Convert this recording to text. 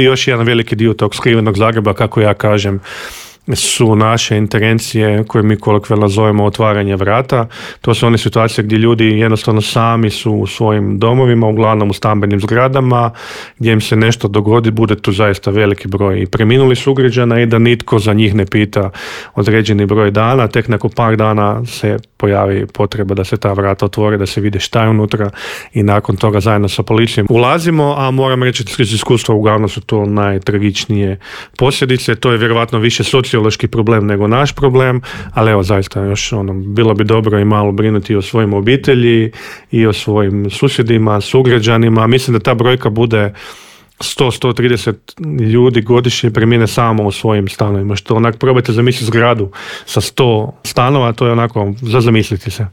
Još jedan veliki dio tog skrivenog Zagreba, kako ja kažem, su naše intervencije koje mi kolokvijalno zovemo otvaranje vrata. To su one situacije gdje ljudi jednostavno sami su u svojim domovima, uglavnom u stambenim zgradama, gdje im se nešto dogodi, bude tu zaista veliki broj i preminulih sugrađana i da nitko za njih ne pita određeni broj dana. Tek nakon par dana se pojavi potreba da se ta vrata otvore, da se vide šta je unutra i nakon toga zajedno sa policijom ulazimo, a moram reći da iz iskustva uglavnom su to najtragičnije posljedice. To je vjerovatno više sociološki problem nego naš problem, ali evo zaista još bilo bi dobro i malo brinuti o svojim obitelji i o svojim susjedima, sugrađanima. Mislim da ta brojka bude 100-130 ljudi godišnje premine samo u svojim stanovima, što onak probajte zamisliti zgradu sa 100 stanova, to je onako za zamisliti se.